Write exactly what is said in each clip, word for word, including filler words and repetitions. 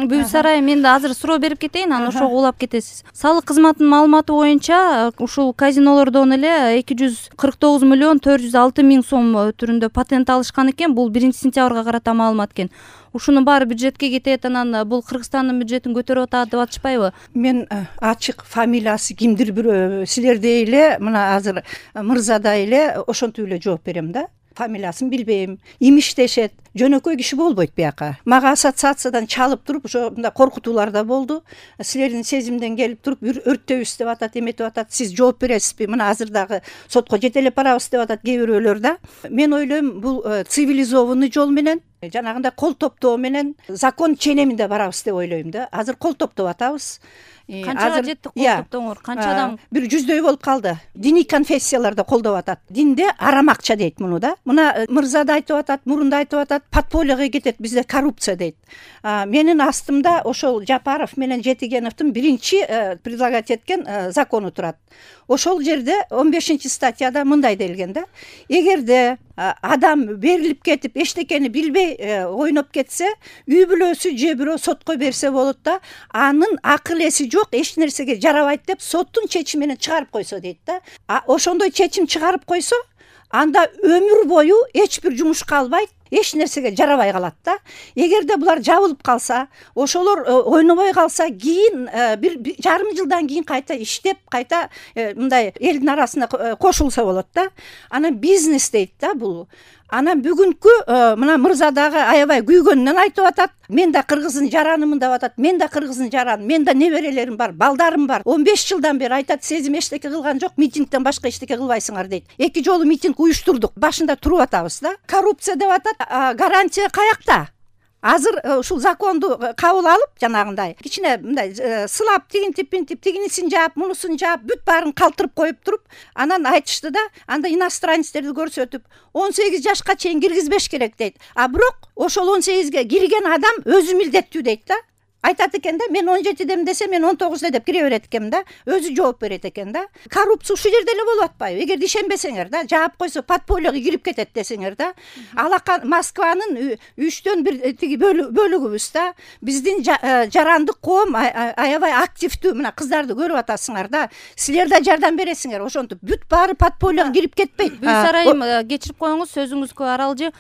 Бүбүс Арай, мен да азыр суроо берип кетейин, анан ошого улап кетесиз. Салык кызматынын маалыматы боюнча ушул казинолордон эле эки жүз кырк тогуз миллион төрт жүз алты миң сом түрүндө патент алышкан экен. Бул биринчи сентябрга карата маалымат экен. Ушунун баары бюджетке кетет, анан бул Кыргызстандын бюджетин көтөрүп атат деп атышпайбы? Мен ачык фамилиясы кимдир бирөө силердей эле мына азыр мырзадай эле ошентип эле жооп берем да. Фамилиясын билбейм. Имиштешет. Жөнөкөй киши болбойт бияка. Мага ассоциациядан чалып туруп, ошо мындай коркутуулар да болду. Силердин сезимден келип туруп, өрттөбүз деп атат, эметип атат. Сиз жооп бересизби? Мына азыр дагы сотко жетелеп барабыз деп атат кээ бирөөлөр да. Мен ойлойм, бул цивилизованный жол менен, жанагындай кол топтоо менен закон ченеминде барабыз деп ойлойм да. Азыр кол топтоп атабыз. Канчага жетти кол топтооңор? Канча адам? Бир жүздөй болуп калды. Диний конфессиялар да колдоп атат. Динде арам акча дейт муну да. Мына мырза да айтып атат, мурунда айтып атат, подпольеге кетет, бизде коррупция дейт. Менин астымда ошол Жапаров менен Жетигеновдун биринчи предлагать эткен закону турат. Ошол жерде он бешинчи статьяда мындай делген да. Эгерде адам берилип кетип, эчтекени билбей ойноп кетсе, үй бүлөсү же бирөө сотко берсе болот да, анын акыл эси жок, эч нерсеге жарабайт деп соттун чечими менен чыгарып койсо дейт да. Ошондой чечим чыгарып койсо, анда өмүр бою эч бир жумушка албайт, эч нерсеге жарабай калат да. Эгерде булар жабылып калса, ошолор ойнобой калса, кийин бир жарым жылдан кийин кайта иштеп, кайта мындай элдин арасына кошулса болот да. Анан бизнес дейт да бул. Анан бүгүнкү мына мырза дагы аябай күйгөнүнөн айтып атат. Мен да кыргыздын жаранымын деп атат. Мен да кыргыздын жараны, мен да неберелерим бар, балдарым бар. он беш жылдан бери айтат, сезим эчтеке кылган жок, митингден башка эчтеке кылбайсыңар дейт. Эки жолу митинг уюштурдук. Башында туруп атабыз да. Коррупция деп атат. Гарантия каякта? Азыр ушул законду кабыл алып, жанагындай кичине мындай сылап, тигинтип, пинтип, тигинисин жаап, мунусун жаап, бүт баарын калтырып коюп туруп, анан айтышты да, анда иностранецтерди көрсөтүп, он сегиз жашка чейин киргизбеш керек дейт. А бирок ошол он сегизге кирген адам өзү милдеттүү дейт да. Айтат экен да, мен он жетидемин десе, мен он тогузда деп кире берет экен да, өзү жооп берет экен да. Коррупция ушул жерде эле болуп атпайбы? Эгерде ишенбесеңер да, жаап койсо подпольеге кирип кетет десеңер да. Алака Москванын үчтөн бир тиги бөлүгүбүз да. Биздин жарандык коом аябай активдүү, мына кыздарды көрүп атасыңар да. Силер да жардам бересиңер, ошентип бүт баары подпольеге кирип кетпейт. Бүбүс Арайым, кечирип коюңуз, сөзүңүзгө аралжы.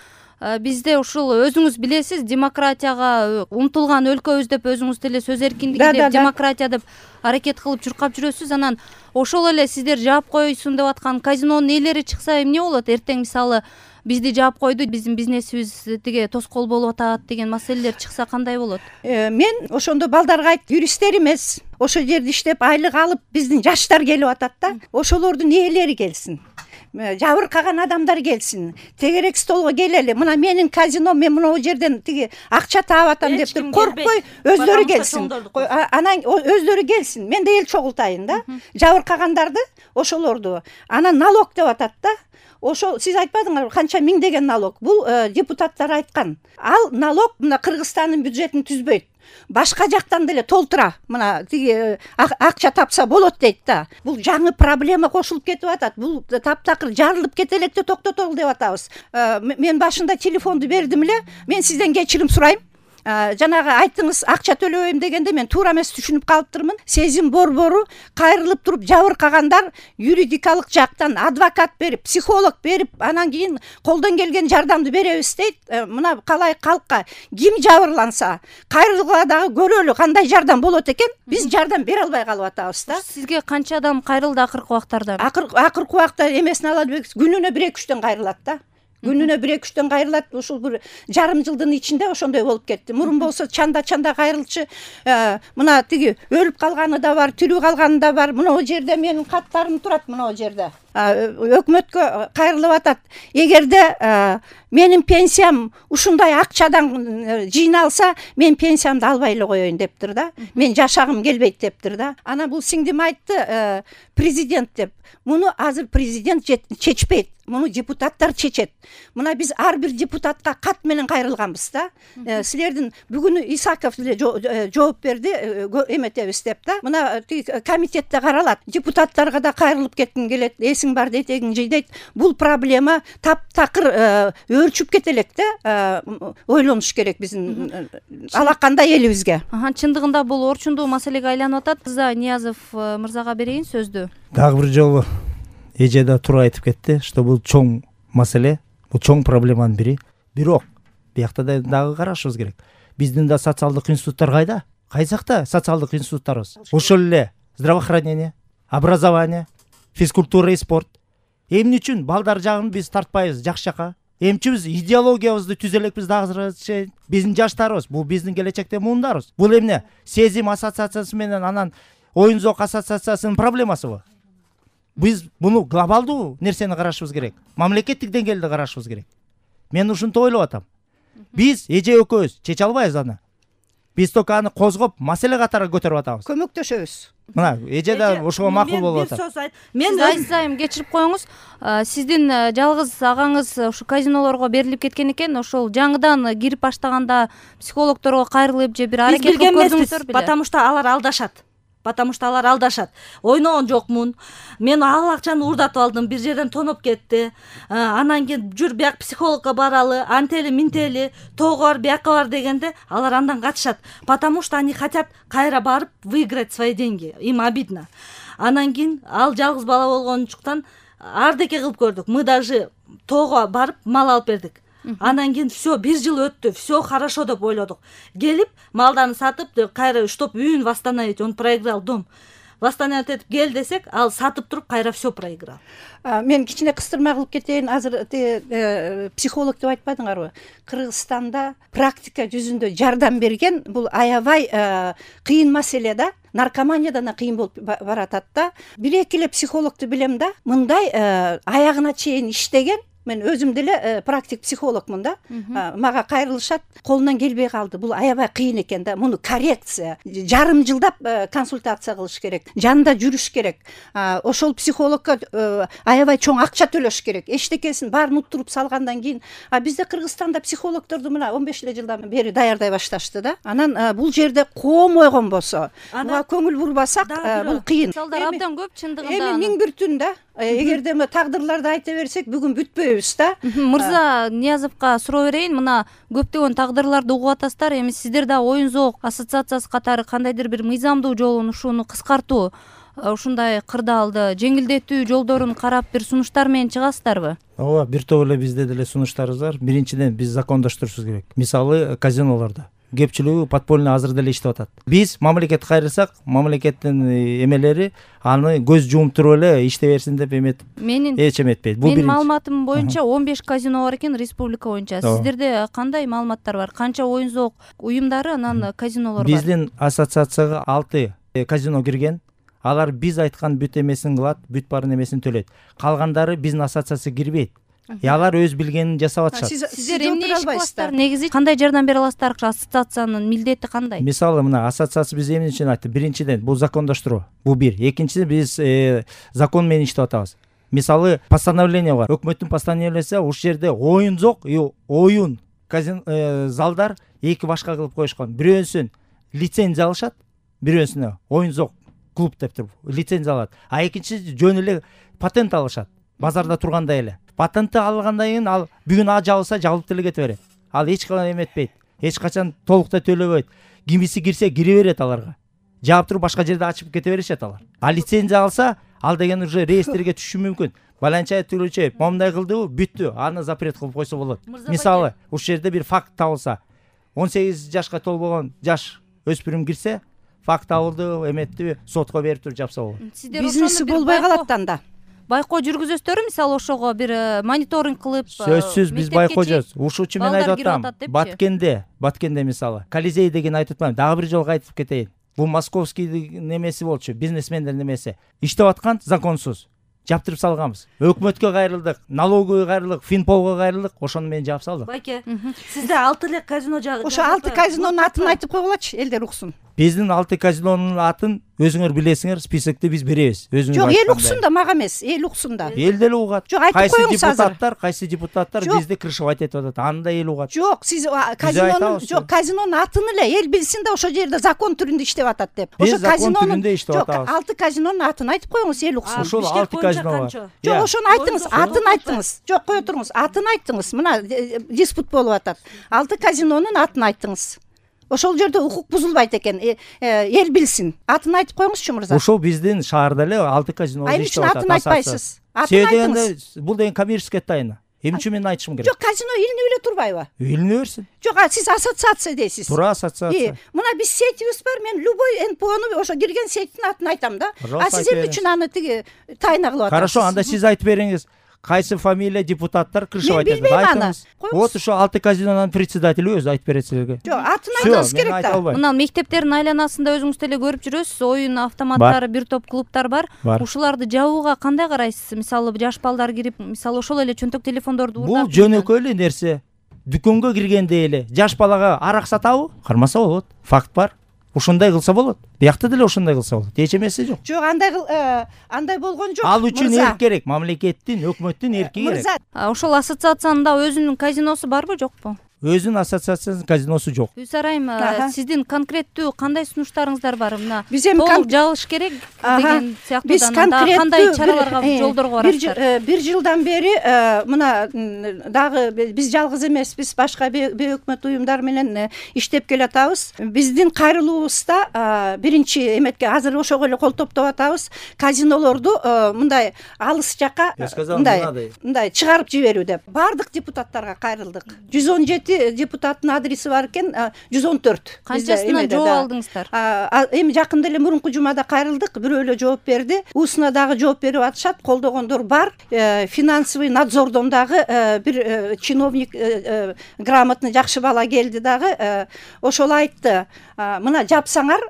Бизде ушул өзүңүз билесиз, демократияга умтулган өлкөбүз деп өзүңүз деле сөз эркиндиги деп, демократия деп аракет кылып чуркап жүрөсүз. Анан ошол эле сиздер жаап койсун деп аткан казинонун ээлери чыкса эмне болот? Эртең мисалы бизди жаап койду, биздин бизнесибиз тиге тоскоол болуп атат деген маселелер чыкса кандай болот? Мен ошондо балдарга айт, юристтер эмес, ошол жерде иштеп айлык алып биздин жаштар келип атат да. Ошолордун ээлери келсин. Жабыркаган адамдар келсин. Тегерек столго келели. Мына менин казино, мен мына жерден тиги акча таап атам деп коркпой, өздөрү келсин. Анан өздөрү келсин. Мен да эл чогултайын да. Жабыркагандарды, ошолорду. Анан налог деп атат да. Ошол сиз айтпадыңарбы, канча миңдеген налог? Бул депутаттар айткан. Ал налог мына Кыргызстандын бюджетин түзбөйт. Башка жактан деле толтура. Мына тиги акча тапса болот дейт да. Бул жаңы проблема кошулуп кетип атат. Бул таптакыр жарылып кете электе токтотолу деп атабыз. Мен башында телефонду бердим эле. Мен сизден кечирим сурайм. Жанагы айттыңыз, акча төлөбөйм дегенде мен туура эмес түшүнүп калыптырмын. Сезим борбору кайрылып туруп жабыркагандар юридикалык жактан адвокат берип, психолог берип, анан кийин колдон келген жардамды беребиз дейт. Мына калай калкка ким жабырланса, кайрылгыла дагы көрөлү кандай жардам болот экен. Биз жардам бере албай калып атабыз да. Сизге канча адам кайрылды акыркы убактарда? Акыркы убакта эмесин ала элбекпиз. Күнүнө бир эки үчтөн кайрылат да. Күнүнө бир эки үчтөн кайрылат. Ушул бир жарым жылдын ичинде ошондой болуп кетти. Мурун болсо чанда-чанда кайрылчу. Мына тиги өлүп калганы да бар, тирүү калганы да бар. Мына о жерде менин каттарым турат, мына о жерде. Өкмөткө кайрылып атат. Эгерде менин пенсиям ушундай акчадан жыйналса, мен пенсиямды албай эле коеюн дептир да. Мен жашагым келбейт дептир да. Анан бул сиңдим айтты, президент деп. Муну азыр президент чечпейт. Муну депутаттар чечет. Мына биз ар бир депутатка кат менен кайрылганбыз да. Силердин бүгүн Исаков деле жооп берди, эметебиз деп да. Мына комитетте каралат. Депутаттарга да кайрылып кетким келет. несиң бар, этегиң жийдейт. Бул проблема таптакыр өөрчүп кете элек да, ойлонуш керек биздин алакандай элибизге. Чындыгында бул орчундуу маселеге айланып атат. Мырза Ниязов мырзага берейин сөздү. Дагы бир жолу эже да туура айтып кетти, что бул чоң маселе, бул чоң проблеманын бири. Бирок биякта да дагы карашыбыз керек. Биздин да социалдык институттар кайда? Кайсакта социалдык институттарыбыз? Ошол эле здравоохранение, образование, физкультура и спорт. Эмне үчүн балдар жагын биз тартпайбыз жакшы жака? Эмчи биз идеологиябызды түзө элекпиз дагы? Биздин жаштарыбыз, бул биздин келечекте муундарыбыз. Бул эмне? Сезим ассоциациясы менен анан оюн зоок ассоциациясынын проблемасыбы? Биз муну глобалдуу нерсени карашыбыз керек. Мамлекеттик деңгээлде карашыбыз керек. Мен ушинтип ойлоп атам. Биз эже экөөбүз чече албайбыз аны. Биз только аны козгоп, маселе катары көтөрүп атабыз. Көмөктөшөбүз. Мына эже да ошого макул болуп атат. Мен айсайым кечирип коюңуз. Сиздин жалгыз агаңыз ушу казинолорго берилип кеткен экен. Ошол жаңыдан кирип баштаганда психологторго кайрылып же бир аракет кылып көрдүңүздөр беле? Потому что алар алдашат. Потому что алар алдашат. Ойногон жокмун. Мен ал акчаны уурдатып алдым, бир жерден тоноп кетти. Анан кийин жүр бияк психологко баралы, антели минтели, тоого бар, биякка бар дегенде алар андан качышат. Потому что они хотят кайра барып выиграть свои деньги. Им обидно. Анан кийин ал жалгыз бала болгончуктан ардеке кылып көрдүк. Мы даже тоого барып мал алып бердик. Анан кийин все, бир жыл өттү, все хорошо деп ойлодук. Келип, малдарын сатып, кайра чтоб үйүн восстановить, он проиграл дом. Восстановить этип кел десек, ал сатып туруп кайра все проиграл. Мен кичине кыстырма кылып кетейин. Азыр психолог деп айтпадыңарбы? Кыргызстанда практика жүзүндө жардам берген бул аябай кыйын маселе да. Наркоманиядан да кыйын болуп баратат да. Бир эки эле психологду билем да. Мындай аягына чейин иштеген. Мен өзүм деле практик психологмун да. Мага кайрылышат, колунан келбей калды. Бул аябай кыйын экен да. Муну коррекция, жарым жылдап консультация кылыш керек. Жанында жүрүш керек. Ошол психологко аябай чоң акча төлөш керек. Эчтекесин баарын уттуруп салгандан кийин, бизде Кыргызстанда психологторду мына он беш эле жылдан бери даярдай башташты да. Анан бул жерде коомойгон болсо, буга көңүл бурбасак, бул кыйын. Мисалдар абдан көп чындыгында. Эми миң бир түн да. Эгерде мы тагдырларды айта берсек, бүгүн бүтпөйбүз да. Мырза Ниязовго суроо берейин. Мына көптөгөн тагдырларды угуп атасыздар. Эми сиздер да оюн зоок ассоциациясы катары кандайдыр бир мыйзамдуу жолун, ушуну кыскартуу, ушундай кырдаалды жеңилдетүү жолдорун карап бир сунуштар менен чыгасыздарбы? Ооба, бир топ эле бизде деле сунуштарыбыз бар. Биринчиден биз закондоштурушубуз керек. Мисалы, казинолордо кепчилиги подпольный азыр деле иштеп атат. Биз мамлекетке кайрылсак, мамлекеттин эмелери аны көз жумуп туруп эле иштей берсин деп эметип, менин эч эметпейт. Бул менин маалыматым боюнча он беш казино бар экен республика боюнча. Сиздерде кандай маалыматтар бар? Канча оюн зоок уюмдары, анан казинолор бар? Биздин ассоциацияга алты казино кирген. Алар биз айткан бүт эмесин кылат, бүт барын эмесин төлөйт. Калгандары биздин ассоциацияга кирбейт. Алар өз билгенин жасап атышат. Сиздер эмне иш кыласыздар? Негизи кандай жардам бере аласыздар? Ассоциациянын милдети кандай? Мисалы, мына ассоциация биз эмне үчүн айтты? Биринчиден, бул закондоштуруу. Бул бир. Экинчиден, биз закон менен иштеп атабыз. Мисалы, постановление бар. Өкмөттүн постановлениясы, ушул жерде оюн зоок, оюн залдар эки башка кылып коюшкан. Бирөөсүн лицензия алышат, бирөөсүнө оюн зоок клуб деп туруп лицензия алат. А экинчиси жөн эле патент алышат. Базарда тургандай эле. Патентти алгандан кийин ал бүгүн а жабылса жабылып деле кете берет. Ал эч качан эметпейт. Эч качан толуктай төлөбөйт. Кимиси кирсе кире берет аларга. Жаап туруп башка жерде ачып кете беришет алар. А лицензия алса, ал деген уже реестрге түшүшү мүмкүн. Баланча түгүлчү момундай кылдыбы, бүттү. Аны запрет кылып койсо болот. Мисалы, ушул жерде бир факт табылса, он сегиз жашка толбогон жаш өспүрүм кирсе, факт табылды, эметти, сотко берип туруп жапса болот. Бизнеси болбой калат анда. Байкоо жүргүзөсүздөрбү? Мисалы ошого бир мониторинг кылып, сөзсүз биз байкоо жүрөбүз. Ушул үчүн мен айтып атам. Баткенде, Баткенде мисалы, Колизей деген айтып атпайм. Дагы бир жолго айтып кетейин. Бул московский немеси болчу, бизнесмендер немеси. Иштеп аткан законсуз. Жаптырып салганбыз. Өкмөткө кайрылдык, налоговый кайрылдык, Финполго кайрылдык, ошону менен жаап салдык. Байке, сизде алты эле казино жагы. Ошо алты казинонун атын айтып койгулачы, элдер уксун. биздин алты казинонун атын өзүңөр билесиңер, списокти биз беребиз. Өзүңөр жок, эл уксун да, мага эмес, эл уксун да. Эл деле угат. Жок, айтып Кайсы коюңуз азыр. депутаттар, кайсы депутаттар бизди крышевать этип атат, аны да эл угат. Жок, сиз казинонун айтабыз, жок, казинонун атын эле эл билсин да, ошол жерде закон түрүндө иштеп атат деп. Биз закон түрүндө иштеп жок, атабыз. алты казинонун атын айтып коюңуз, эл уксун. Ошол алты казино бар. Жок, ошону айттыңыз, атын айттыңыз. Жок, кое туруңуз, атын айттыңыз. Мына диспут болуп атат. Алты казинонун атын айттыңыз. Ошол жерде укук бузулбайт экен. Эл билсин. Атын айтып коюңузчу, мырза. Ошол биздин шаарда эле алты казино иштеп атат. Атын айтпайсыз. Атын айтыңыз. Бул деген коммерческий тайна. Эмне үчүн мен айтышым керек? Жок, казино илинип эле турбайбы? Илине берсин. Жок, сиз ассоциация дейсиз. Туура, ассоциация. Мына биз сетибиз бар, мен любой эн пэ ону ошо кирген сеттин атын айтам да. А сиз эмне үчүн аны тиги тайна кылып атасыз? Хорошо, анда сиз айтып бериңиз. Кайсы фамилия депутаттар крышевать этет? Мен билбейм аны. Вот ошо алты казинонун председатели өзү айтып берет силерге. Жок, атын айтыңыз керек да. Мына мектептердин айланасында өзүңүз деле көрүп жүрөсүз, оюн автоматтары, бир топ клубтар бар. Ушуларды жабууга кандай карайсыз? Мисалы жаш балдар кирип, мисалы ошол эле чөнтөк телефондорду уурдап. Бул жөнөкөй эле нерсе. Дүкөнгө киргенде эле жаш балага арак сатабы? Кармаса болот. Факт бар. Ушундай кылса болот. Биякта деле ошондой кылса болот. Эч эмеси жок. Жок, андай андай болгон жок. Ал үчүн эрк керек, мамлекеттин, өкмөттүн эрки керек. Ошол ассоциациянын да өзүнүн казиносу барбы, жокпу? Өзүнүн ассоциациясынын казиносу жок. Гүлсара айым, сиздин конкреттүү кандай сунуштарыңыздар бар? Мына биз эми толук жабыш керек деген сыяктуудан кандай чараларга жолдорго барасыздар? Бир жылдан бери мына дагы биз жалгыз эмеспиз, башка бейөкмөт уюмдар менен иштеп келатабыз. Биздин кайрылуубузда биринчи эметке азыр ошого эле кол топтоп атабыз. Казинолорду мындай алыс жака мындай мындай чыгарып жиберүү деп баардык депутаттарга кайрылдык. жүз он жети депутаттын адреси бар экен, жүз он төрт. Канчасына жооп алдыңыздар? Эми жакында эле мурунку жумада кайрылдык, бирөө эле жооп берди. Усуна дагы жооп берип атышат, колдогондор бар. Финансовый надзордон дагы бир чиновник, грамотный жакшы бала келди дагы. Ошол айтты, мына жапсаңар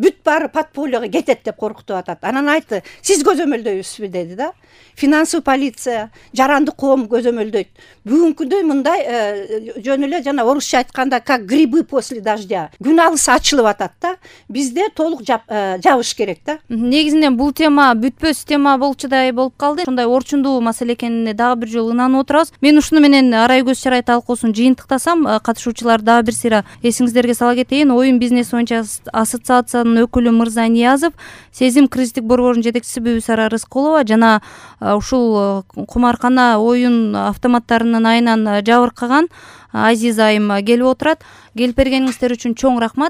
бүт баары подпольяга кетет деп коркутуп атат. Анан айтты, сиз көзөмөлдөйсүзбү деди да. Финансовый полиция, жарандык коом көзөмөлдөйт. Бүгүнкүдөй мындай жөн эле жана орусча айтканда как грибы после дождя. Күн алыс ачылып атат да. Бизде толук жабыш керек да. Негизинен бул тема бүтпөс тема болчудай болуп калды. Ушундай орчундуу маселе экенине дагы бир жолу ынанып отурабыз. Мен ушуну менен Арай көз чарай талкуусун жыйынтыктасам, катышуучулар дагы бир сыйра эсиңиздерге сала кетейин. Оюн бизнес боюнча ассоциациянын өкүлү Мырза Ниязов, Сезим кризистик борборунун жетекчиси Бүбүсара Рыскулова жана ушул кумаркана оюн автоматтарынын айынан жабыркаган Азиза айым келип отурат. Келип бергениңиздер үчүн чоң рахмат.